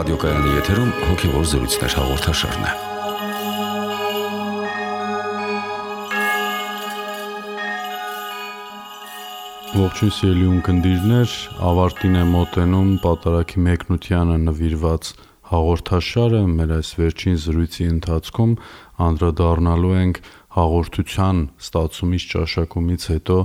Ռադիոկայանի եթերում հոգևոր զրույցներ հաղորդաշարն է։ Ողջույն սիրելի ունկնդիրներ, ավարտին է մոտենում Պատարագի մեկնությանը նվիրված հաղորդաշարը։ Մեր այս վերջին զրույցի ընթացքում անդրադառնալու ենք հաղորդության ստացումից ճաշակումից հետո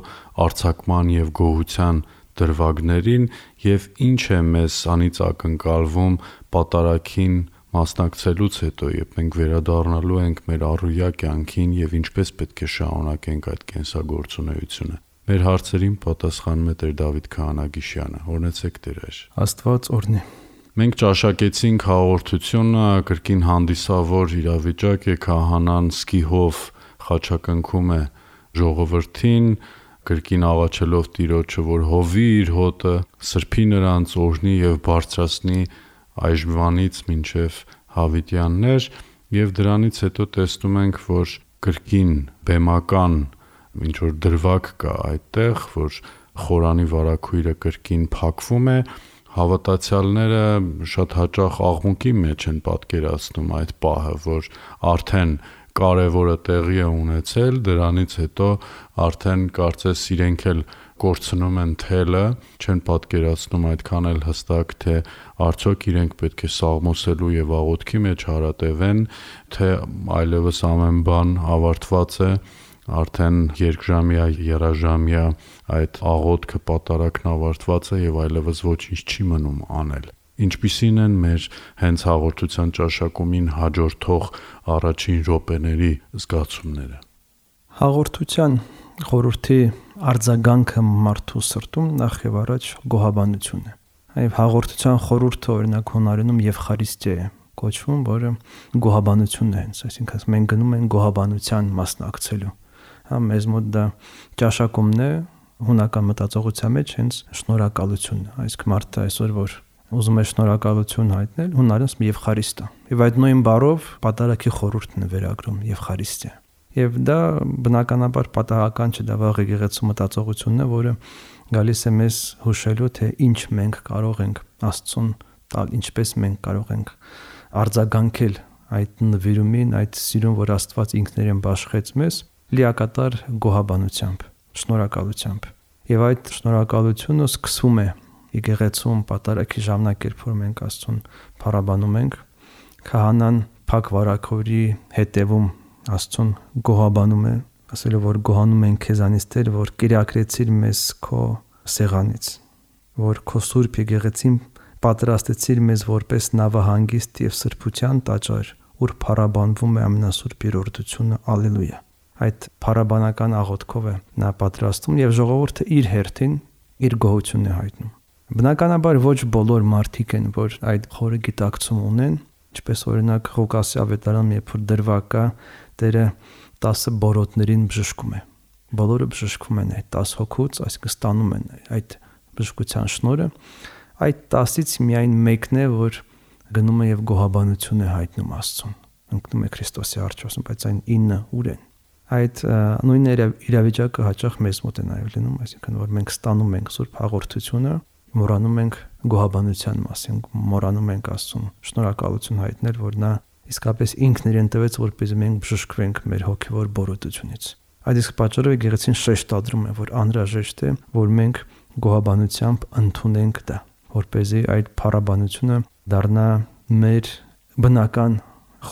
արձակման եւ գոհության դրվագներին եւ ինչ է մեզ անից ակնկալվում Պատարագին մասնակցելուց հետո, երբ մենք վերադառնալու ենք մեր առօրյա կյանքին եւ ինչպես պետք է շարունակենք այդ կենսագործունեությունը։ Մեր հարցերին պատասխանում է Տեր Դավիթ Քահանագիշյանը։ Օրհնեցեք Տեր։ Աստված օրհնի։ Մենք ճաշակեցինք հաղորդությունը, կրկին հանդիսավոր իրավիճակ է, քահանան սկիհով խաչակնքում է ժողովրդին, կրկին աղաչելով Տիրոջը, որ հովի իր հոտը, սրբի նրանց, օրհնի եւ բարձրացնի այժմյանից մինչեւ հավիտյաններ, եւ դրանից հետո տեսնում ենք, որ կրկին բեմական ինչ որ դրվագ կա այդտեղ, որ խորանի վարակույրը կրկին փակվում է, հավատացյալները շատ հաճախ աղմուկի մեջ են պատկերացնում այդ պահը, որ արդեն կարևորը տեղի է ունեցել, դրանից հետո արդեն կարծես իրենք էլ կորցնում են թելը, չեն պատկերացնում այդքան էլ հստակ, թե արդյոք իրենք պետք է սաղմոսելու եւ աղոթքի մեջ հարատևեն, թե այլևս ամեն բան ավարտված է, արդեն երկժամյա, երաժամյա այդ աղոթքը պատարագն ավարտված է եւ այլևս ոչինչ չի մնում անել։ Ինչպիսին են մեր հենց հաղորդության ճաշակումին հաջորդող առաջին րոպեների զգացումները։ Հաղորդության խորհրդի արձագանքը մարդու սրտում նախ եւ առաջ գոհաբանություն է։ Այլ հաղորդության խորհուրդը օրինակ հունարենում Եվխարիստիա է կոչվում, որը գոհաբանությունն է հենց, այսինքն մենք գնում ենք գոհաբանության մասնակցելու։ Մեզ մոտ դա ճաշակումն է, հունական մտածողության մեջ հենց շնորհակալությունն է։ Այսինքն մարդը այսօր որ ուզում է շնորհակալություն հայտնել, հունարենով Եվխարիստա։ Եվ այդ նույն բառով Պատարագի խորհուրդն է վերագրում Եվխարիստիա։ Եվ դա բնականաբար պատահական չէ, դա վաղ եկեղեցու մտածողությունն է, որը գալիս է մեզ հուշելու, թե ինչ մենք կարող ենք Աստծուն տալ, ինչպես մենք կարող ենք արձագանքել այդ նվիրումին, այդ սիրուն, որ Աստված ինքներեն բաշխեց մեզ, լիակատար գոհաբանությամբ, շնորհակալությամբ։ Եվ այդ շնորհակալությունը սկսվում է եկեղեցում Պատարագի ժամանակերբ, որ մենք Աստծուն փառաբանում ենք, քահանան փակ վարակորի հետևում Աստծուն գոհաբանում է, ասելով որ գոհանում ենք քեզանից Տեր, որ կիրակրեցիր մեզ քո սեղանից, որ քո սուրբ եկեղեցին պատրաստեցիր մեզ որպես նավահանգիստ եւ սրբության տաճար, ուր փառաբանվում է ամենասուրբ երրորդությունը, ալելույա։ Այդ փառաբանական աղոթքով է նա պատրաստում եւ ժողովուրդը իր հերթին իր գոհությունն է հայտնում։ Բնականաբար ոչ բոլոր մարդիկ են, որ այդ խորը գիտակցում ունեն, ինչպես օրինակ Ղուկասի ավետարանում, երբ որ դրվագ կա, Տերը 10 բորոտներին բժշկում է։ Բոլորը բժշկվում են այդ 10 հոգուց, այսինքն ստանում են այդ բժշկության շնորհը։ Այդ 10-ից միայն մեկն է, որ գնում է եւ գոհաբանություն է հայտնում Աստծուն, ընկնում է Քրիստոսի առջևում, բայց այն 9 ուր են։ Այդ նույն իրավիճակը հաճախ մեզ մոտ է նաև լինում, այսինքն որ մենք ստանում ենք Սուրբ հաղորդությունը, մոռանում ենք գոհաբանության մասին, մոռանում ենք Աստծուն շնորհակալություն հայտնել, որ նա իսկապես ինքն իրեն տվեց, որպեսզի մենք բժշկվենք մեր հոգևոր բորոտությունից։ Այդ իսկ պատճառով եկեղեցին շեշտադրում է, որ անհրաժեշտ է, որ մենք գոհաբանությամբ ընդունենք դա, որպեսզի այդ փառաբանությունը դառնա մեր բնական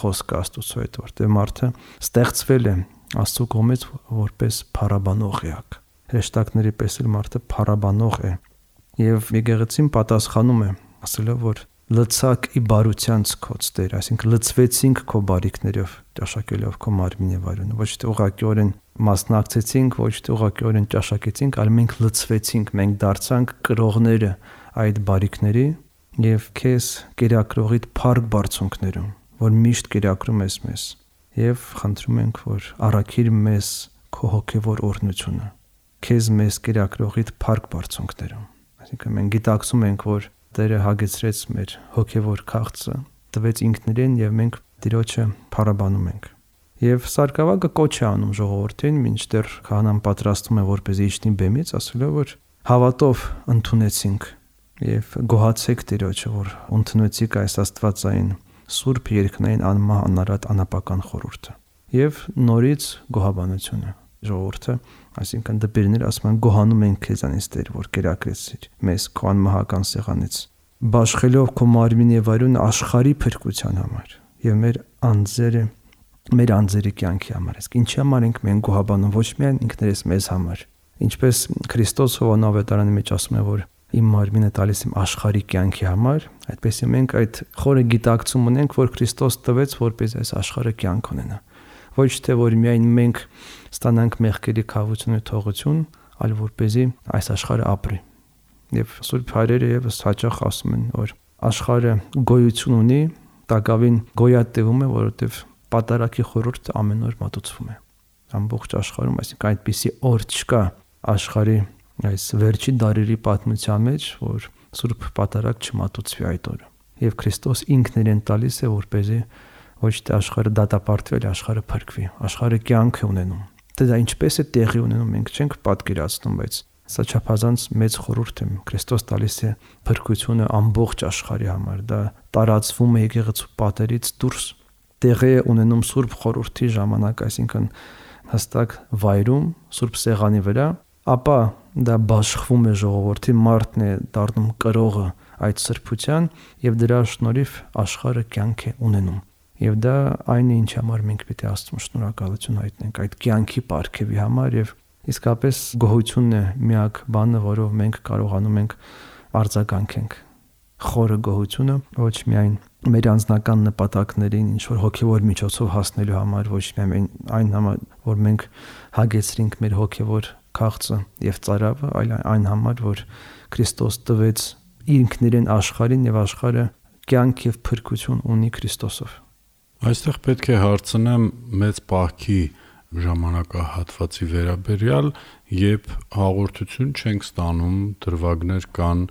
խոսքը Աստծո հետ, որտեղ մարդը ստեղծվել է Աստծո կողմից որպես փառաբանող էակ։ Հրեշտակների պես էլ մարդը փառաբանող է։ Եվ եկեղեցին պատասխանում է, ասելով, որ լցակ ի բարության ցկոց Տեր, այսինքն լցվեցինք քո բարիքներով, ճաշակելով քո մարմին եւ արյունը, ոչ թե ուղղակիորեն մասնակցեցինք, ոչ թե ուղղակիորեն ճաշակեցինք, այլ մենք լցվեցինք, մենք դարձանք կրողները այդ բարիքների եւ քեզ կերակրողիդ փառք բարձունքներում, որ միշտ կերակրում ես մեզ, եւ խնդրում ենք, որ առաքիր մեզ քո հոգեվոր օրհնությունը, քեզ մեզ կերակրողիդ փառք բարձունքներում։ Այսինքն մենք գիտակցում ենք, որ Տերը հագեցրեց մեր հոգևոր քաղցը, տվեց ինքնիրեն եւ մենք Տիրոջը փառաբանում ենք։ Եվ Սարգսակը կոչ է անում ժողովրդին, մինչդեռ քահանան պատրաստում է որպեսզի իջնի բեմից, ասելով որ հավատով ընդունեցինք եւ գոհացեք Տիրոջը, որ ընդունեցիք այս աստվածային սուրբ երկնային անմահ անարատ անապական խորհուրդը եւ նորից գոհաբանությունը ժողովուրդը, այսինքն դպիրներ ասում են գոհանում ենք քեզանից Տեր, որ կերակրեցիր մեզ քո անմահական սեղանից, բաշխելով քո մարմին եւ արյունը աշխարհի փրկության համար եւ մեր անձերի կյանքի համար։ Իսկ ինչի համար ենք մենք գոհաբանում, ոչ միայն ինքներս մեզ համար, ինչպես Քրիստոս Հովանավետարանի մեջ ասում է, որ իմ մարմինը տալիս եմ աշխարհի կյանքի համար, այդպես մենք այդ խորը գիտակցում ունենք, որ Քրիստոս տվեց, որպես այս աշխարհը կյանք ունենա։ Ոչ թե որ միայն մենք ստանանք մեղքերի քավություն ու թողություն, այլ որպեսզի այս աշխարհը ապրի։ Եվ Սուրբ Հայրերը եւս հաճախ ասում են, որ աշխարհը գոյություն ունի, տակավին գոյատևում է, որովհետեւ պատարագի խորհուրդը ամեն օր մատուցվում է ամբողջ աշխարհում, այսինքն այդպիսի օր չկա աշխարհի այս վերջի դարերի պատմության մեջ, որ Սուրբ պատարագ չմատուցվի այդ օրը։ Եվ Քրիստոս ինքն իրեն տալիս է, որպեսզի ոչ թե աշխարհը դատապարտվի, այլ աշխարհը փրկվի, աշխարհը կյանք է ունենում։ Դա ինչպես է տեղի ունենում, մենք չենք պատկերացնում, բայց սա չափազանց մեծ խորհուրդ է։ Քրիստոս տալիս է փրկությունը ամբողջ աշխարհի համար։ Դա տարածվում է եկեղեցու պատերից դուրս, տեղի է ունենում Սուրբ խորհրդի ժամանակ, այսինքն հստակ վայրում, Սուրբ սեղանի վրա, ապա դա բաշխվում է ժողովրդի, մարդն է դառնում կրողը այդ սրբության եւ դրա շնորհիվ աշխարհը կյանք է ունենում։ Եվ դա այն է, ինչ համար մենք պետք է Աստծուն շնորհակալություն հայտնենք այդ կյանքի պարգևի համար եւ իսկապես գոհությունն է միակ բանը, որով մենք կարողանում ենք արձագանքենք խորը գոհությունը, ոչ միայն մեր անձնական նպատակներին, ինչ որ հոգեվոր միջոցով հասնելու համար, ոչ միայն այն համար, որ մենք հագեցրինք մեր հոգեվոր քաղցը եւ ծարավը, այլ այն համար, որ Քրիստոս տվեց ինքն իրեն աշխարհին եւ աշխարհը կյանք եւ փրկություն ունի Քրիստոսով։ Այստեղ պետք է հարցնեմ մեծ պահքի ժամանակահատվածի վերաբերյալ, երբ հաղորդություն չենք ստանում, դրվագներ կան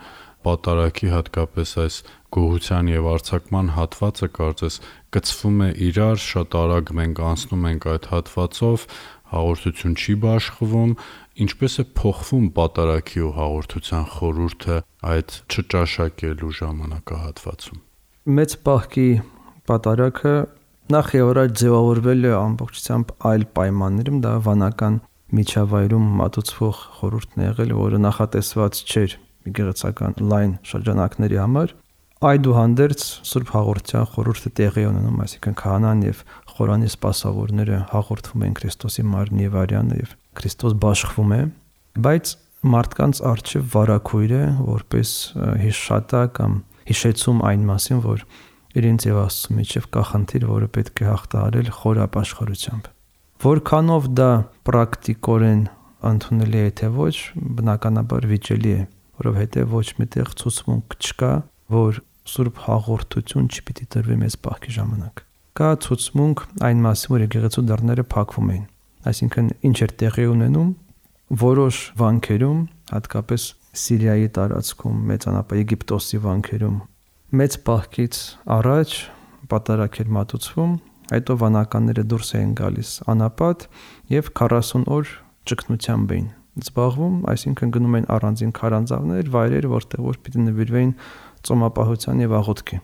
պատարագի, հատկապես այս գոհության եւ արձակման հատվածը կարծես կծվում է իրար, շատ արագ մենք անցնում ենք այդ հատվածով, հաղորդություն չի բաշխվում, ինչպես է փոխվում պատարագի ու հաղորդության խորհուրդը այդ չճաշակելու ժամանակահատվածում։ Մեծ պահքի պատարագը նախ եւ առաջ ձևավորվել է ամբողջությամբ այլ պայմաններում, դա վանական միջավայրում մատուցվող խորհուրդն է եղել, որը նախատեսված չէր եկեղեցական լայն շրջանակների համար։ Այդուհանդերձ Սուրբ հաղորդության խորհուրդը տեղի ունենում, այսինքն քահանան եւ խորանի սպասավորները հաղորդվում են Քրիստոսի մարմնի եւ արյանը եւ Քրիստոս բաշխվում է, բայց մարդկանց արժեվ վարակույր է, որպես հիշատա կամ հիշեցում այն մասին, որ իրենց եւ Աստծո միջև կա խնդիր, որը պետք է հաղթահարել խոր ապաշխարությամբ։ Որքանով դա պրակտիկորեն ընդունելի է թե ոչ, բնականաբար վիճելի է, որովհետեւ ոչ միտեղ ցուցմունք չկա, որ Սուրբ հաղորդություն չպիտի տրվի մեծ պահքի ժամանակ։ Կա ցուցմունք այն մասին, որ եկեղեցու դռները փակվում են, այսինքն ինչ էր տեղի ունենում որոշ վանքերում, հատկապես Սիրիայի տարածքում, մեծանապա Եգիպտոսի վանքերում մեծ պահքից առաջ պատարագ էր մատուցվում, հետո վանականները դուրս էին գալիս անապատ եւ 40 օր ճգնությամբ էին զբաղվում, այսինքն գնում էին առանձին քարանձավներ, վայրեր, որտեղ որ պիտի նվիրվեին ծոմապահության եւ աղոթքի։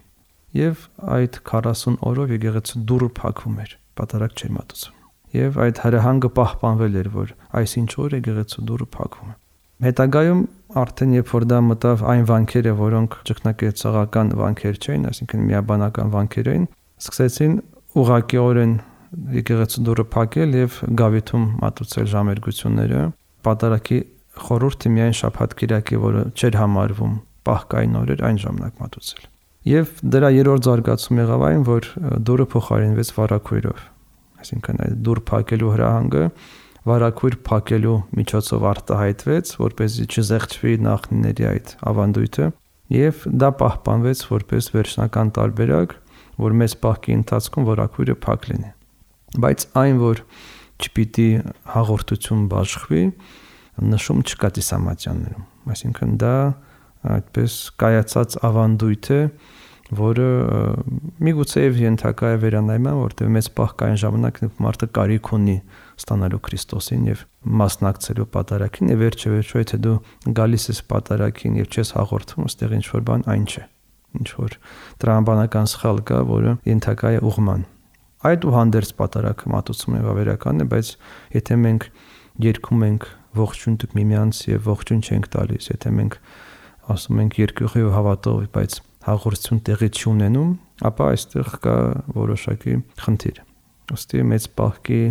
Եվ այդ 40 օրով եկեղեցու դուռը փակվում էր, պատարագ չէր մատուցվում։ Եվ այդ հրահանգը պահպանվել էր, որ այսինչ օր եկեղեցու դուռը փակվում է։ Հետագայում արդեն երբ որ դա մտավ այն վանքերը, որոնք ճգնակեցողական վանքեր չէին, այսինքն միաբանական վանքեր էին, սկսեցին ուղղակիորեն եկեղեցու դուռը փակել եւ գավիթում մատուցել ժամերգությունները։ Պատարագի խորհուրդը միայն շաբաթ-կիրակի, որը չէր համարվում պահքային օրեր, այն ժամանակ մատուցել։ Եվ դրա երրորդ զարգացում եղավ այն, որ դուռը փոխարինվեց վարակույրով, այսինքն այդ դուռ փակելու հրահանգը վարակույր փակելու միջոցով արտահայտվեց, որպեսզի չզեղչվի նախնիների այդ ավանդույթը, եւ դա պահպանվեց որպես վերջնական տարբերակ, որ մեծ պահքի ընթացքում վարակույրը փակ լինի։ Բայց այն, որ չպիտի հաղորդություն բաշխվի, նշում չկա Տիսամատյաններում, այսինքն դա այդպես կայացած ավանդույթ է, որը միգուցե եւ ենթակա է վերանայման, որտեղ մեծ պահ կային ժամանակ մարդը կարիք ունի ստանալու Քրիստոսին եւ մասնակցելու պատարագին, եւ վերջը եթե դու գալիս ես պատարագին եւ չես հաղորդում, այստեղ ինչ որ բան այն չէ, ինչ որ տրամաբանական սխալ կա, որը ենթակա է ուղղման։ Այդ ու հանդերձ պատարագը մատուցում եւ ավերական է, բայց եթե մենք երգում ենք ողջույն տուք միմյանց եւ ողջույն չենք տալիս, եթե մենք ասում ենք երկյուղի ու հավատով, բայց հաղորդություն տեղի չունենում, ապա այստեղ կա որոշակի խնդիր։ Ըստի մեծ պահքի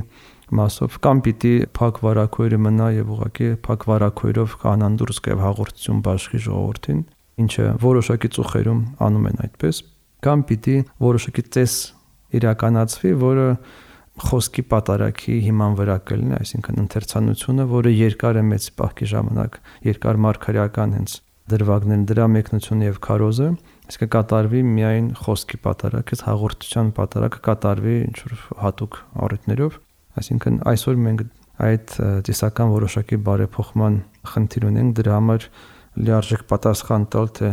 մասով կամ պիտի փակ վարակույրը մնա եւ ուղղակի փակ վարակույրով կանան դուրս գավ հաղորդություն բաշխի ժողովրդին, ինչը որոշակի ծուխերում անում են այդպես, կամ պիտի որոշակի ծես իրականացվի, որը խոսքի պատարագի հիման վրա կլինի, այսինքն ընթերցանությունը, որը երկար է մեծ պահքի ժամանակ, երկար մարգարեական հենց դրվագներն դրա մեկնությունը եւ քարոզը, իսկ կատարվի միայն խոսքի պատարագ, հաղորդության պատարագը կատարվի ինչ որ հատուկ առիթներով, այսինքն այսօր մենք այդ տեսական որոշակի բարեփոխման խնդիր ունենք, դրա համար լիարժեք պատասխան տալ, թե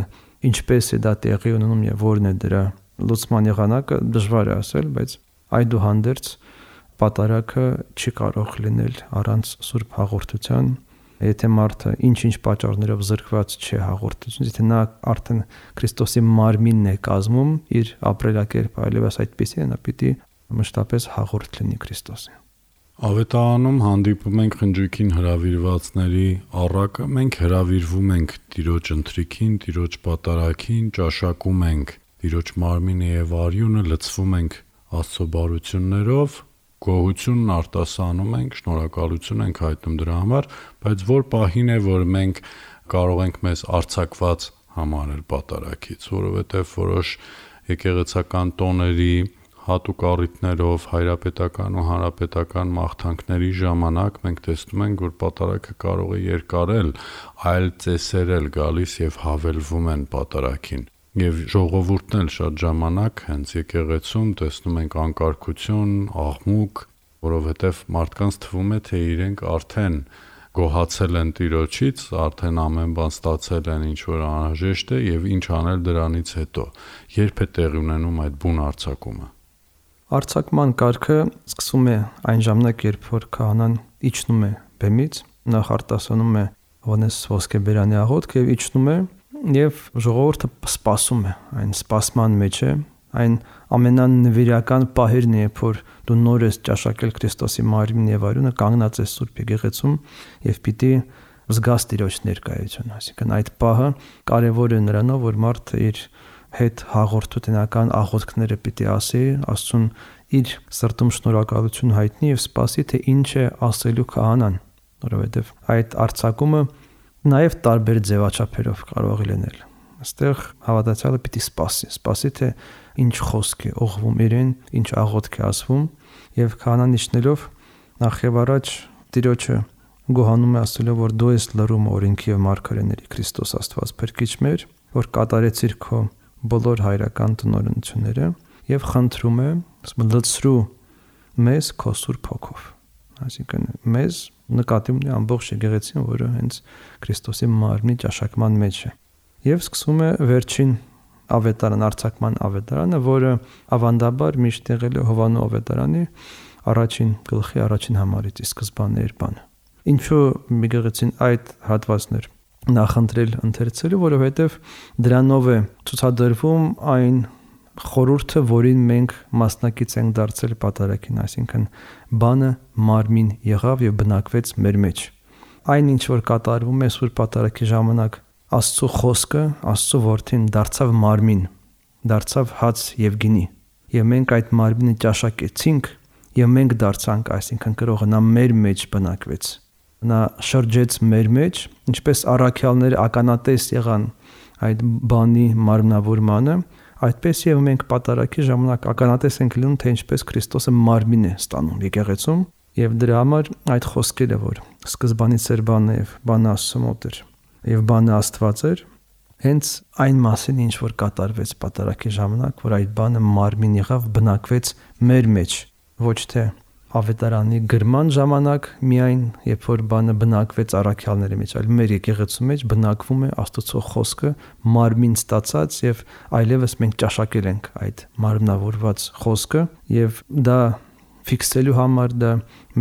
ինչպես է դա տեղի ունենում եւ որն է դրա լուծման եղանակը, դժվար է ասել, բայց այդուհանդերձ պատարագը չի կարող լինել առանց սուրբ հաղորդության, եթե մարդը ինչ-ինչ պատճառներով զրկված չէ հաղորդությունից, եթե նա արդեն Քրիստոսի մարմինն է կազմում, իր ապրելակերպը այլևս այդպեսի է, նա պիտի մշտապես հաղորդ լինի Քրիստոսին։ Ավետարանում հանդիպում ենք խնջույքին հրավիրվածների առակը, մենք հրավիրվում ենք Տիրոջ ընթրիքին, Տիրոջ պատարագին, ճաշակում ենք Տիրոջ մարմինը եւ արյունը, լցվում ենք Աստծո բարություններով, գոհությունն արտասանում ենք, շնորհակալություն ենք հայտնում դրա համար, բայց որ պահին է, որ մենք կարող ենք մեզ արձակված համարել պատարագից, որովհետև որոշ եկեղեցական տոների հատուկ առիթներով հայրապետական ու հանրապետական մաղթանքների ժամանակ մենք տեսնում ենք, որ պատարագը կարող է երկարել, այլ ծեսեր էլ գալիս եւ հավելվում են պատարագին։ Եվ ժողովուրդն էլ շատ ժամանակ հենց եկեղեցում տեսնում ենք անկարգություն, աղմուկ, որովհետև մարդկանց թվում է, թե իրենք արդեն գոհացել են Տիրոջից, արդեն ամեն բան ստացել են, ինչ որ անհրաժեշտ է եւ ինչ անել դրանից հետո։ Երբ է տեղի ունենում այդ բուն արձակումը։ Արձակման կարգը սկսում է այն ժամանակ, երբ որ քահանան իջնում է բեմից, նախ արտասանում է Հովհաննես ոսկեբերանի աղոթք եւ իջնում է եւ ժողովուրդը սպասում է, այն սպասման մեջ է, այն ամենանվիրական պահերն է, երբ որ դու նոր ես ճաշակել Քրիստոսի մարմինն եւ արյունը, կանգնած ես Սուրբ եկեղեցում եւ պիտի զգաս Տիրոջ ներկայությունը, այսինքն այդ պահը կարեւոր է նրանով, որ մարդը իր հետ հաղորդությունական աղոթքները պիտի ասի, Աստծուն իր սրտում շնորհակալություն հայտնի եւ սպասի, թե ինչ է ասելու քահանան, որովհետեւ այդ արձակումը նաև տարբեր ձևաչափերով կարող է լինել։ Այստեղ հավատացյալը պիտի սպասի, թե ինչ խոսք է ուղղվում իրեն, ինչ աղոթք է ասվում, եւ քահանան իջնելով նախ եւ առաջ Տիրոջը գոհանում է ասելով, որ դու ես լրում օրենքի եւ մարգարեների Քրիստոս Աստված Փրկիչ մեր, որ կատարեցիր քո բոլոր հայրական տնօրինությունները եւ խնդրում է, լցրու մեզ քո Սուրբ Հոգով։ Այսինքն մեզ նկատի ունի ամբողջ եկեղեցին, որը հենց Քրիստոսի մարմնի ճաշակման մեջ է։ Եվ սկսում է վերջին ավետարան, արձակման ավետարանը, որը ավանդաբար միշտ եղել է Հովանու ավետարանի առաջին գլխի առաջին համարից, ի սկզբանե էր բանը։ Ինչու եկեղեցին այդ հատվածներ նախընտրել ընթերցելու, որովհետև դրանով է ցուցադրվում այն խորհուրդը, որին մենք մասնակից ենք դարձել պատարագին, այսինքն բանը մարմին եղավ եւ բնակվեց մեր մեջ։ Այն ինչ որ կատարվում է Սուրբ պատարագի ժամանակ, Աստծո խոսքը, Աստծո որդին դարձավ մարմին, դարձավ հաց եւ գինի։ Եվ մենք այդ մարմինը ճաշակեցինք եւ մենք դարձանք, այսինքն կրողը նա մեր մեջ բնակվեց։ Նա շրջեց մեր մեջ, ինչպես առաքյալները ականատես եղան այդ բանի մարմնավորմանը, այդպես եւ մենք պատարագի ժամանակ ականատես ենք լինում, թե ինչպես Քրիստոսը մարմին է ստանում եկեղեցում, եւ դրա համար այդ խոսքերը, որ սկզբանից էր բանը եւ բանը Աստծո մոտ էր եւ բանը Աստված էր, հենց այն մասին ինչ որ կատարվեց պատարագի ժամանակ, որ այդ բանը մարմին եղավ, բնակվեց մեր մեջ, ոչ թե ավետարանի գրման ժամանակ միայն, երբ որ բանը բնակվեց առաքյալների մեջ, այլ մեր եկեղեցու մեջ բնակվում է Աստծո խոսքը մարմին ստացած եւ այլևս մենք ճաշակել ենք այդ մարմնավորված խոսքը եւ դա ֆիքսելու համար, դա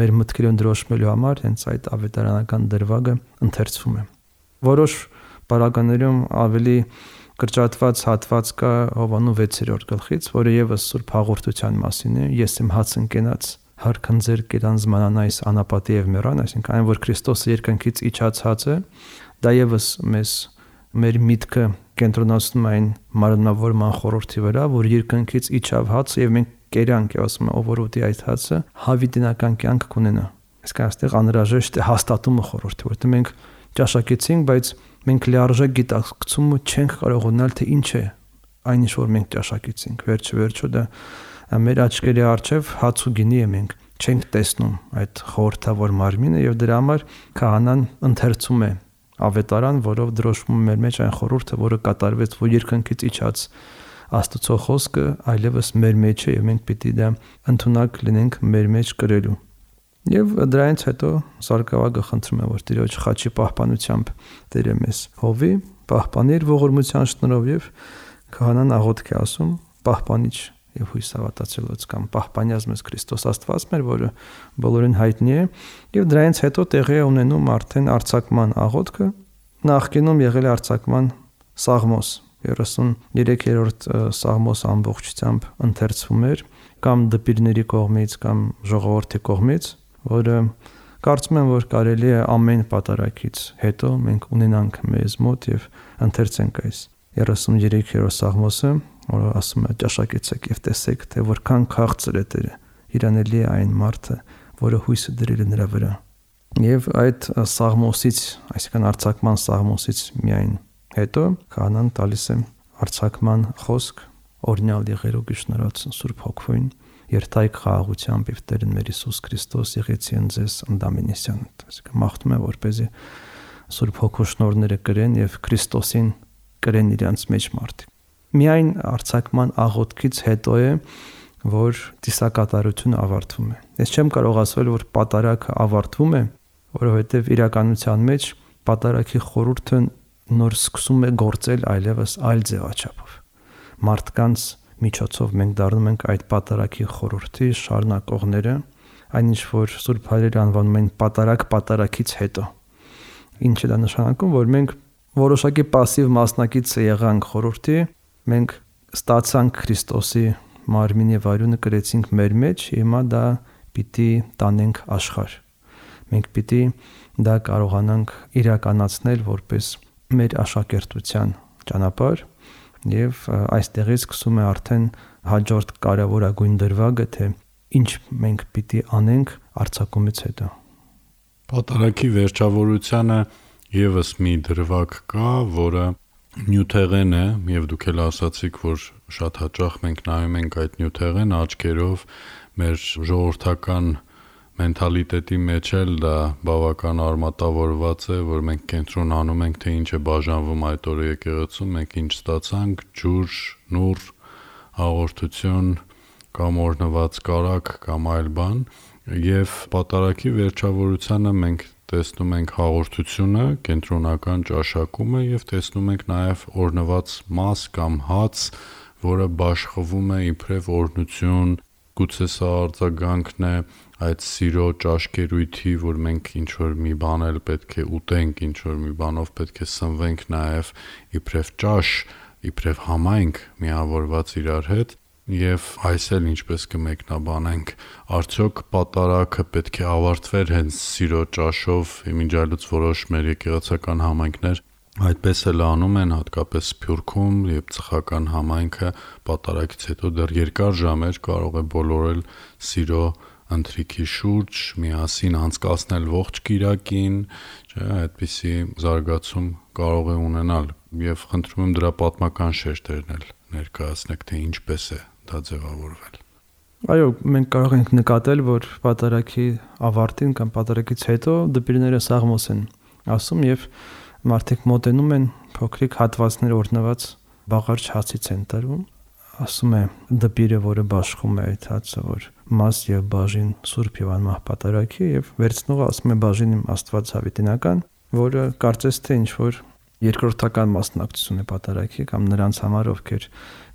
մեր մտքերում դրոշմելու համար հենց այդ ավետարանական դրվագը ընթերցվում է։ Որոշ պարագաներում ավելի կրճատված հատված կա Հովանու 6-րդ գլխից, որը եւս Սուրբ հաղորդության մասին է։ Ես եմ հաց ընկենած հարքնձեր կերանց մանանայս անապատի եւ մեռան, այսինքն այն որ Քրիստոսը երկնքից իջած հացը, դա եւս մեր միտքը կենտրոնացնում այն մարմնավորման խորհրդի վրա, որ երկնքից իջավ հացը եւ մենք կերանք եւ ասում ով որ ուտի այդ հացը հավիտենական կյանք կունենա։ Այսինքն այստեղ անհրաժեշտ է հաստատումը խորհրդի, որտեղ մենք ճաշակեցինք, բայց մենք լիարժեք գիտակցումը չենք կարող ունենալ, թե ինչ է այն ինչ որ մենք ճաշակեցինք։ Վերջը դա մեր աչքերի առջև հաց ու գինի է, մենք չենք տեսնում այդ խորհրդավոր մարմինը եւ դրա համար քահանան ընթերցում է ավետարան, որով դրոշվում է մեր մեջ այն խորհուրդը, որը կատարվեց, որ երկնքից իջած Աստծո խոսքը այլևս մեր մեջ է եւ մենք պիտի դա ընդունակ լինենք մեր մեջ կրելու։ Եվ դրանից հետո Սարգսակը խնդրում է, որ Տիրոջ խաչի պահպանությամբ Տերը մեզ հովի, պահպանիր ողորմության շնորհով եւ քահանան աղոթք է ասում, պահպանիչ եւ հույս հավատացելուց կամ պահպանյազ մեզ Քրիստոս Աստված մեր, որը բոլորին հայտնի է, եւ դրանից հետո տեղի է ունենում արդեն արձակման աղոթքը, նախկինում եղել է արձակման սաղմոս 33-րդ սաղմոս ամբողջությամբ ընթերցվում էր կամ դպիրների կողմից կամ ժողովրդի կողմից, որը կարծում եմ, որ կարելի է ամեն պատարագից հետո մենք ունենանք մեզ մոտ եւ ընթերցենք այս 33-րդ սաղմոսը, որը ասում է ճաշակեցեք եւ տեսեք, թե որքան քաղցր է Տերը, իրանելի է այն մարդը, որը հույսը դրել է նրա վրա։ Եվ այդ սաղմոսից, այսինքն արձակման սաղմոսից միայն հետո քահանան տալիս է արձակման խոսք օրինալ եղերուկ շնորհացն Սուրբ Հոգվին երթայք խաղաղությամբ եւ Տերն մեր Հիսուս Քրիստոս եղեցին ձեզ ընդամենեսյան, այսինքն մաղթում է որպեսզի Սուրբ Հոգու շնորհները կրեն եւ Քրիստոսին կրեն իրենց մեջ մարդիկ։ Միայն արձակման աղոթքից հետո է, որ տիսակատարությունը ավարտվում է։ Ես չեմ կարող ասել, որ պատարագը ավարտվում է, որովհետեւ իրականության մեջ պատարագի խորհուրդը նոր սկսում է գործել այլևս այլ ձևաչափով։ Մարդկանց միջոցով մենք դառնում ենք այդ պատարագի խորհրդի շարունակողները, այնինչ որ Սուրբ Հայրերը անվանում են պատարագից հետո։ Ինչ է դա նշանակում, որ մենք որոշակի пассив մասնակից եղանք խորհրդի, մենք ստացանք Քրիստոսի մարմինի վարյունը կրեցինք մեր մեջ, հիմա դա պիտի տանենք աշխարհ։ Մենք պիտի դա կարողանանք իրականացնել որպես մեր աշակերտության ճանապարհ եւ այստեղից սկսում է արդեն հաջորդ կարևորագույն դրվագը, թե ինչ մենք պիտի անենք արձակումից հետո։ Պատարագի վերջավորությանը եւս մի դրվագ կա, որը նյութեղեն է, եւ դուք էլ ասացիք, որ շատ հաճախ մենք նայում ենք այդ նյութեղեն աչքերով, մեր ժողովրդական մենթալիտետի մեջ էլ դա բավական արմատավորված է, որ մենք կենտրոնանում ենք, թե ինչ է բաժանվում այդ օրը եկեղեցում, մենք ինչ ստացանք, ջուր, նուռ, հաղորդություն կամ օրնված կարակ կամ այլ բան, եւ պատարագի վերջավորությանը մենք տեսնում ենք հաղորդությունը, կենտրոնական ճաշակումը եւ տեսնում ենք նաեւ օրնված մաս կամ հաց, որը բաշխվում է իբրև օրհնություն, գուցե սա արձագանքն է այդ սիրո ճաշկերույթի, որ մենք ինչ-որ մի բան էլ պետք է ուտենք, ինչ-որ մի բանով պետք է սնվենք նաև իբրև ճաշ, իբրև համայնք միավորված իրար հետ, եւ այս էլ ինչպես կմեկնաբանենք, արդյոք պատարագը պետք է ավարտվեր հենց սիրո ճաշով, իմիջիալուց որոշ մեր եկեղեցական համայնքներ այդպես էլ անում են, հատկապես Սփյուռքում եւ ծխական համայնքը պատարագից հետո դեռ երկար ժամեր կարող է բոլորել սիրո ընթրիքի շուրջ, միասին անցկացնել ողջ կիրակին, չէ, այդպիսի զարգացում կարող է ունենալ եւ խնդրում եմ դրա պատմական շեշտերն էլ ներկայացնեք, թե ինչպես է դա ձևավորվել։ Այո, մենք կարող ենք նկատել, որ պատարագի ավարտին կամ պատարագից հետո դպիրները սաղմոս են ասում եւ մարդիկ մոտենում են, փոքրիկ հատվածներ օրնված բաղարիչ հացից են տրվում, ասում է դպիրը, որը բաշխում է այդ հացը, որ մաս եւ բաժին սուրբ եւ անմահ պատարագի, եւ վերցնողը ասում է բաժին իմ Աստված հավիտենական, որը կարծես թե ինչ որ երկրորդական մասնակցություն է պատարագի կամ նրանց համար, ովքեր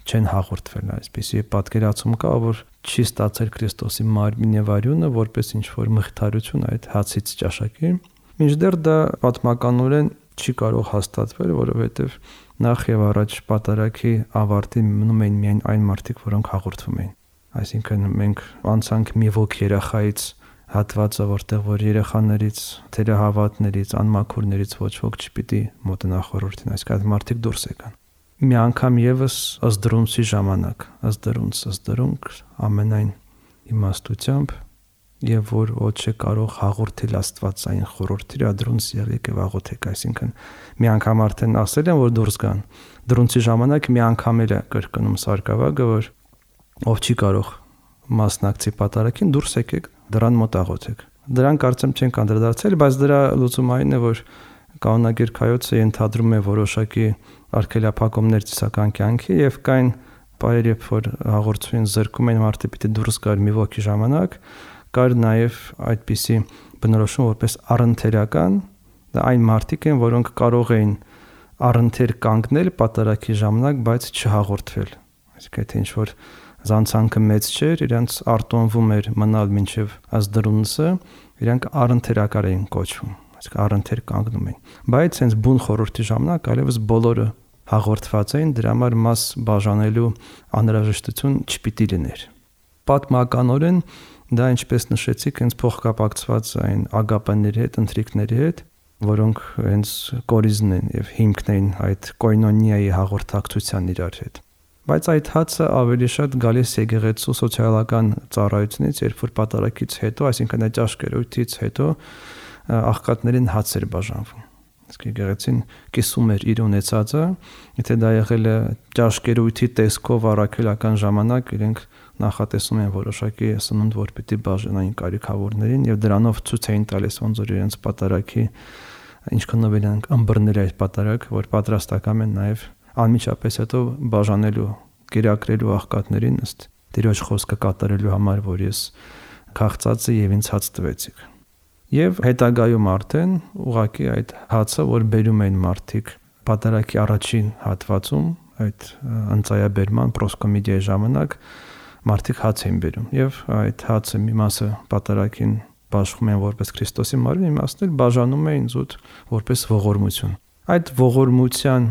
չեն հաղորդվել այսպեսի պատկերացում կա, որ չի ստացել Քրիստոսի մարմին եւ արյունը որպես ինչ որ մխիթարություն այդ հացից ճաշակի, մինչդեռ դա պատմականորեն չի կարող հաստատվել, որովհետեւ նախ եւ առաջ պատարագի ավարտին մնում էին միայն այն մարդիկ, որոնք հաղորդվում էին։ Այսինքն մենք անցանք մի ոգ երախայից հատվածը, որտեղ որ երեխաներից, թերահավատներից, անմաքուրներից ոչ ոք չպիտի մոտնա խորհրդին, այսինքն մարդիկ դուրս եկան։ Մի անգամ եւս ըսդրունցի ժամանակ, ըսդրունք ամենայն իմաստությամբ եւ որ ոչ է կարող հաղորդել Աստվածային խորհրդի ադրունց եղեք եւ աղոթեք, այսինքն մի անգամ արդեն ասել են որ դուրս գան։ Դրունցի ժամանակ մի անգամ էլ է կրկնում սարկավագը, որ ով չի կարող մասնակցի պատարագին դուրս եկեք դրան մոտ աղոթեք։ Դրան կարծեմ չեն կանդրադարձել, բայց դրա լուծումը այն է, որ կանոնագիրքայոցը ենթադրում է որոշակի արգելափակումներ ծիսական կյանքի եւ կային պայեր, երբ որ հաղորդին զրկում են մարդը պիտի դուրս գար մի ոգի ժամանակ, կար նաեւ այդպիսի բնորոշում որպես առընթերական, դա այն մարդիկ են, որոնք կարող էին առընթեր կանգնել պատարագի ժամանակ, բայց չհաղորդվել։ Այսինքն թե ինչ որ զանցանքը մեծ չէր, իրանց արտոնվում էր մնալ մինչև ազդրունսը, իրանք առընթերակար էին կոչվում, այսինքն առընթեր կանգնում էին։ Բայց հենց բուն խորհրդի ժամանակ այլևս բոլորը հաղորդված էին, դրա համար մաս բաժանելու անհրաժեշտություն չպիտի լիներ։ Պատմականորեն դա ինչպես նշեցիք, հենց փոխկապակցված այն ագապաների հետ, ընթրիկների հետ, որոնք հենց կորիզն են եւ հիմքն են այդ կոյնոնիայի հաղորդակցության իրար հետ։ Բայց այդ հացը ավելի շատ գալիս եկեղեցու սոցիալական ծառայությունից, երբ որ պատարագից հետո, այսինքն այդ աշկերույթից հետո աղքատներին հաց էր բաժանվում։ Իսկ եկեղեցին կիսում էր իր ունեցածը, եթե դա եղել է աշկերույթի տեսքով առաքելական ժամանակ, իրենք նախատեսում են որոշակի սնունդ, որ պիտի բաժանային կարիքավորներին եւ դրանով ցույց էին տալիս ոնց որ իրենց պատարագի ինչքանով են ըմբռնել այդ պատարագ, որ պատրաստական են նաեւ անմիջապես հետո բաժանելու, կերակրելու աղքատներին ըստ Տիրոջ խոսքը կատարելու համար, որ ես քաղցածը եւ ինձ հաց տվեցիք։ Եվ հետագայում արդեն ուղղակի այդ հացը, որ բերում են մարդիկ պատարագի առաջին հատվածում, այդ ընծայաբերման պրոսկոմիդիայի ժամանակ մարդիկ հաց են բերում եւ այդ հացը մի մասը պատարագին բաշխում են որպես Քրիստոսի մարմին, մի մասն էլ բաժանում են զուտ որպես ողորմություն։ Այդ ողորմության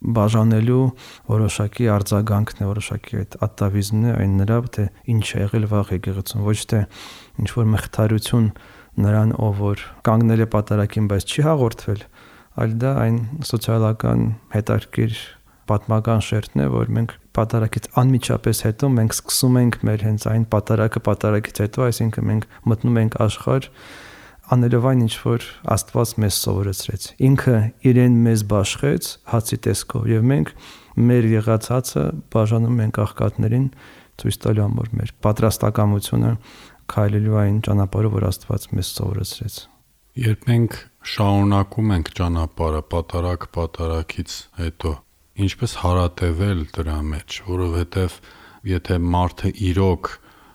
բաժանելու որոշակի արձագանքն է, որոշակի այդ ատավիզմն է այն նրա, թե ինչ է եղել վաղ եկեղեցում, ոչ թե ինչ որ մխիթարություն նրան, ով որ կանգնել է պատարագին, բայց չի հաղորդվել, այլ դա այն սոցիալական հետաքրքիր պատմական շերտն է, որ մենք պատարագից անմիջապես հետո մենք սկսում ենք մեր հենց այն պատարագից հետո, այսինքն մենք մտնում ենք աշխարհ անելով այն ինչ որ Աստված մեզ սովորեցրեց։ Ինքը իրեն մեզ բաշխեց հացի տեսքով եւ մենք մեր եղած հացը բաժանում ենք աղքատներին, ցույց տալու համար մեր պատրաստակամությունը քայլելու այն ճանապարհով, որ Աստված մեզ սովորեցրեց։ Երբ մենք շարունակում ենք ճանապարհը պատարագից հետո, ինչպես հարատևել դրա մեջ, որովհետեւ եթե մարդը իրոք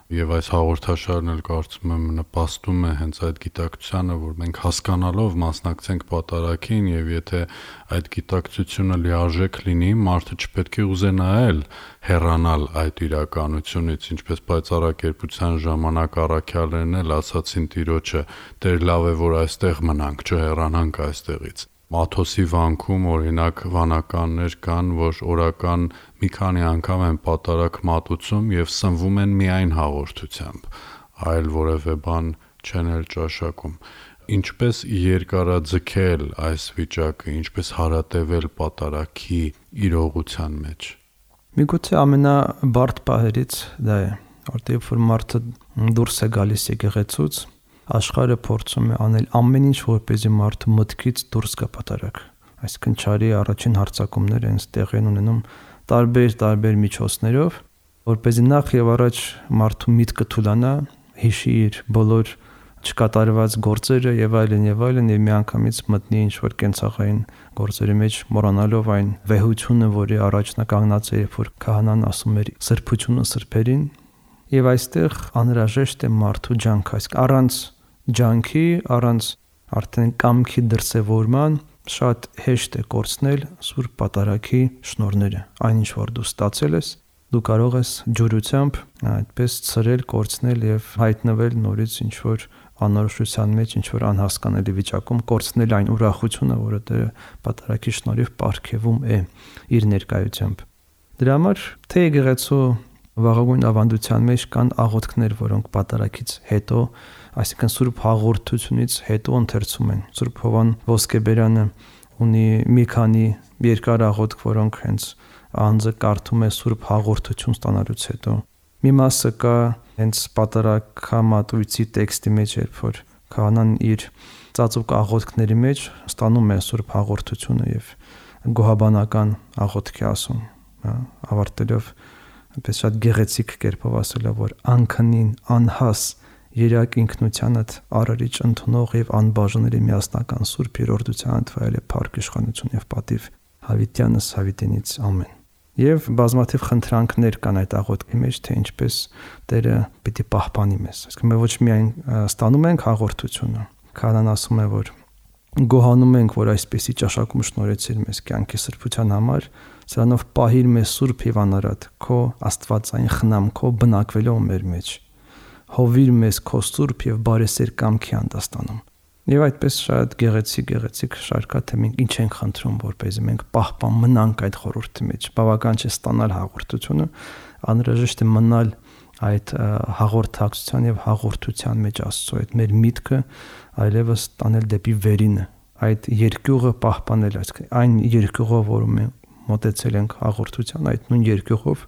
եւ այս հաղորդաշարն էլ կարծում եմ նպաստում է հենց այդ գիտակցությանը, որ մենք հասկանալով մասնակցենք պատարագին եւ եթե այդ գիտակցությունը լիարժեք լինի, մարդը չպետք է ուզենա հեռանալ այդ իրականությունից, ինչպես պայծառակերպության ժամանակ առաքյալներն էլ ասացին Տիրոջը, Տեր լավ է որ այստեղ մնանք, չհեռանանք այստեղից։ Մաթոսի վանքում օրինակ վանականներ կան, որ օրական մի քանի անգամ են պատարագ մատուցում եւ սնվում են միայն հաղորդությամբ, այլ որևէ բան չեն էլ ճաշակում։ Ինչպես երկարաձգել այս վիճակը, ինչպես հարատևել պատարագի իրողության մեջ։ Միգուցե ամենաբարդ պահերից դա է, որտեղ որ մարդը դուրս է գալիս եկեղեցուց, աշխարհը փորձում է անել ամեն ինչ, որպեսզի մարդը մտքից դուրս գա պատարագ։ Այսինքն չարի առաջին հարձակումները հենց տեղի են ունենում տարբեր միջոցներով, որպեսզի նախ եւ առաջ մարդու միտքը թուլանա, հիշի իր բոլոր չկատարված գործերը եւ այլն եւ միանգամից մտնի ինչ-որ կենցաղային գործերի մեջ, մոռանալով այն վեհությունը, որի առաջ նա կանգնած է, երբ որ քահանան ասում էր սրբությունը սրբերին, եւ այստեղ անհրաժեշտ է մարդու ջանք, այսինքն առանց ջանքի, առանց արդեն կամքի դրսևորման շատ հեշտ է կորցնել Սուրբ Պատարագի շնորհները, այնինչ որ դու ստացել ես, դու կարող ես ջուրությամբ այդպես ցրել, կորցնել եւ հայտնվել նորից ինչ-որ անորոշության մեջ, ինչ-որ անհասկանալի վիճակում, կորցնել այն ուրախությունը, որը Տերը Պատարագի շնորհիվ ապարգևում է իր ներկայությամբ։ Դրա համար թե եկեղեցու վաղագույն ավանդության մեջ կան աղոթքներ, որոնք Պատարագից հետո, այսինքն Սուրբ հաղորդությունից հետո ընթերցում են։ Սուրբ Հովան Ոսկեբերյանը ունի մի քանի երկար աղոթք, որոնք հենց անձը կարդում է Սուրբ հաղորդություն ստանալուց հետո։ Մի մասը կա հենց Պատարագամատույցի տեքստի մեջ, երբ որ քահանան իր ծածուկ աղոթքների մեջ ստանում է Սուրբ հաղորդությունը եւ գոհաբանական աղոթք է ասում, ավարտելով այնպես շատ գեղեցիկ կերպով ասելով, որ անքնին անհաս երակ ինքնությանդ արարիչ ընդունող եւ անբաժանելի միասնական Սուրբ երորդությանդ վայել է փառք իշխանություն եւ պատիվ հավիտյանս հավիտենից ամեն։ Եվ բազմաթիվ խնդրանքներ կան այդ աղոթքի մեջ, թե ինչպես Տերը պիտի պահպանի մեզ։ Այսինքն մենք ոչ միայն ստանում ենք հաղորդությունը, քահանան ասում է, որ գոհանում ենք, որ այսպեսի ճաշակում շնորհեցիր մեզ կյանքի սրբության համար, սրանով պահիր մեզ սուրբ եւ անարատ, քո աստվածային խնամքով բնակվելով մեր մեջ։ Հովիր մեզ քո սուրբ եւ բարեսեր կամքի հանդաստանում։ Եվ այդպես շատ գեղեցիկ շարքա, թե մենք ինչ ենք խնդրում, որպեսզի մենք պահպան մնանք այդ խորհրդի մեջ։ Բավական չէ ստանալ հաղորդությունը, անհրաժեշտ է մնալ այդ հաղորդակցության եւ հաղորդության մեջ Աստծո այդ մեր միտքը այլևս տանել դեպի վերինը, այդ երկյուղը պահպանել, այն երկյուղով, որում մենք մոտեցել ենք հաղորդության, այդ նույն երկյուղով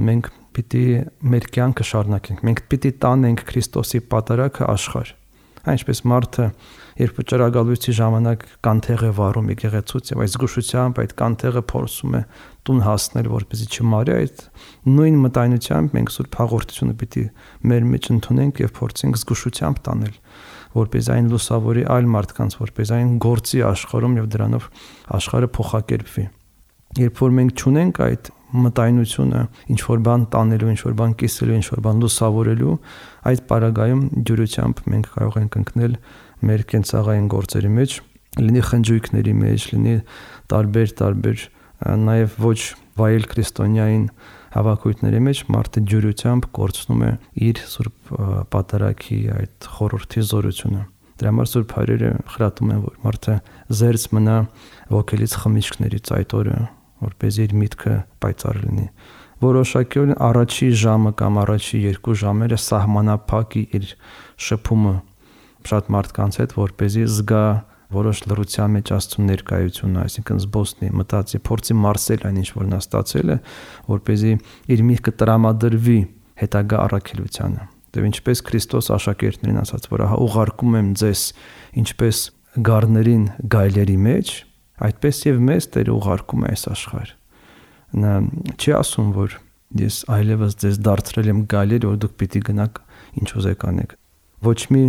մենք պիտի մեր կյանքը շարունակենք, մենք պիտի տանենք Քրիստոսի պատարագը աշխարհ։ Այնպես մարդը, երբ ճրագալույցի ժամանակ կանթեղ է վառում եկեղեցուց եւ այս զգուշությամբ այդ կանթեղը փորձում է տուն հասնել, որպեսզի չմարի, այդ նույն մտայնությամբ մենք Սուրբ հաղորդությունը պիտի մեր մեջ ընդունենք եւ փորձենք զգուշությամբ տանել, որպես այն լուսավորի այլ մարդկանց, որպես այն գործի աշխարհում եւ դրանով աշխարհը փոխակերպվի։ Երբ որ մենք չունենք այդ մտայնությունը, ինչ որ բան տանելու, ինչ որ բան կիսելու, ինչ որ բան լուսավորելու, այդ պարագայում ջուրությամբ մենք կարող ենք ընկնել մեր կենցաղային գործերի մեջ, լինի խնջույքների մեջ, լինի տարբեր նաև ոչ վայել քրիստոնյային հավաքույթների մեջ մարդը ջուրությամբ կորցնում է իր Սուրբ Պատարագի այդ խորհրդի զորությունը։ Դրա համար Սուրբ Հայրերը խրատում են, որ մարդը զերծ մնա ոգելից խմիչքներից այդ օրը, որպես իր միտքը պայծառ լինի։ Որոշակիորեն առաջի ժամը կամ առաջի 2 ժամերը սահմանափակի իր շփումը շատ մարդկանց հետ, որպեսզի զգա որոշ լռության մեջ Աստծո ներկայությունը, այսինքն զբոսնի, մտածի, փորձի մարսել այն ինչ որ նա ստացել է, որպեսզի իր միտքը տրամադրվի հետագա առաքելությանը։ Դե ինչպես Քրիստոս աշակերտներին ասաց, որ ահա ուղարկում եմ ձեզ ինչպես գառներին գայլերի մեջ, այդպես եւ մեզ Տերը ուղարկում է այս աշխարհ։ Նա չի ասում, որ ես այլևս ձեզ դարձրել եմ գայլեր, որ դուք պիտի գնաք ինչ ուզեք անեք։ Ոչ մի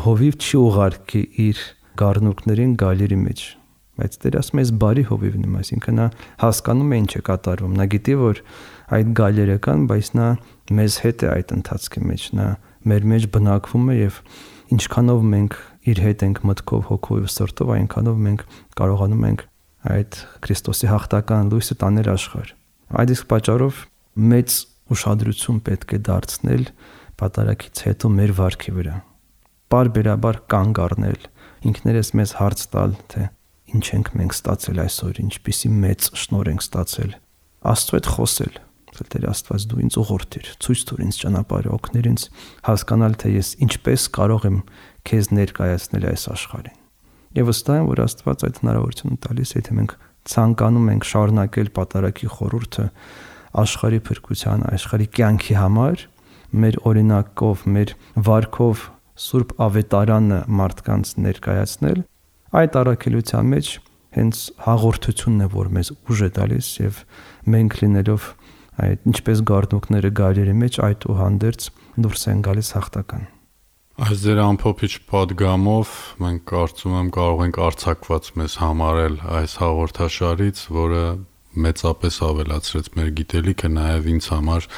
հովիվ չի ուղարկի իր գառնուկներին գայլերի մեջ, բայց Տերը ասում է բարի հովիվն եմ, այսինքն նա հասկանում է ինչ է կատարվում, նա գիտի, որ այդ գայլերը կան, բայց նա մեզ հետ է այդ ընթացքի մեջ, նա մեր մեջ բնակվում է եւ ինչքանով մենք իր հետ ենք մտքով, հոգով եւ սրտով, այնքանով մենք կարողանում ենք այդ Քրիստոսի հաղթական լույսը տանել աշխարհ։ Այդ իսկ պատճառով մեծ ուշադրություն պետք է դարձնել Պատարագից հետո մեր վարքի վրա։ Բարբերաբար կանգ առնել, ինքներս մեզ հարց տալ, թե ինչ ենք մենք ստացել այսօր, ինչպիսի մեծ շնորհ ենք ստացել։ Աստծո հետ խոսել, Տեր Աստված դու ինձ ուղղորդիր, ցույց տուր ինձ ճանապարհը, օգներ ինձ հասկանալ, թե ես ինչպես կարող եմ քեզ ներկայացնել այս աշխարհին։ Եվ վստահ եմ, որ Աստված այդ հնարավորությունը տալիս է, եթե մենք ցանկանում ենք շարունակել Պատարագի խորհուրդը աշխարհի փրկության, աշխարհի կյանքի համար, մեր օրինակով, մեր վարքով Սուրբ Ավետարանը մարդկանց ներկայացնել, այդ առաքելության մեջ հենց հաղորդությունն է, որ մեզ ուժ է տալիս եւ մենք լինելով այդ ինչպես գառնուկները գայլերի մեջ այդ ու հանդերձ դուրս են գալիս հաղթական։ Այս ձեր ամփոփիչ պատգամով մենք կարծում եմ կարող ենք արձակված մեզ համարել այս հաղորդաշարից, որը մեծապես ավելացրեց մեր գիտելիքը նաև ինձ համար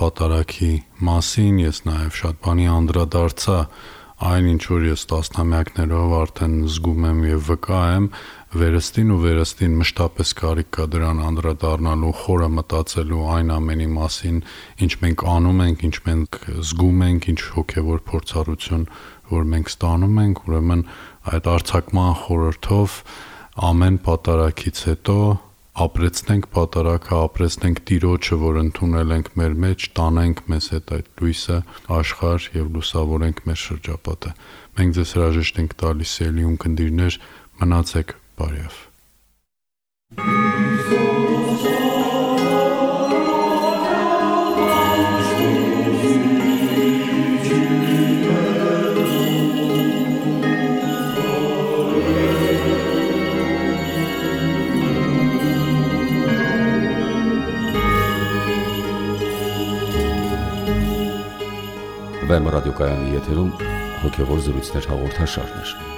պատարագի մասին, ես նաև շատ բանի անդրադարձա այն ինչ որ ես տասնամյակներով արդեն զգում եմ եւ վկա եմ, վերստին մշտապես կարիք կա դրան անդրադառնալու, խորը մտածելու այն ամենի մասին, ինչ մենք անում ենք, ինչ մենք զգում ենք, ինչ հոգեվոր փորձառություն, որ մենք ստանում ենք, ուրեմն այդ արձակման խորհրդով ամեն պատարագից հետո ապրեցնենք պատարագը, ապրեցնենք Տիրոջը, որ ընդունել ենք մեր մեջ, տանենք մեզ հետ այդ լույսը աշխարհ եւ լուսավորենք մեր շրջապատը։ Մենք ձեզ հրաժեշտ ենք տալիս, սիրելի ունկնդիրներ, մնացեք բարյավ։ Վեմ ռադիոկայանի եթերում հոգևոր զրույցներ հաղորդաշարներ։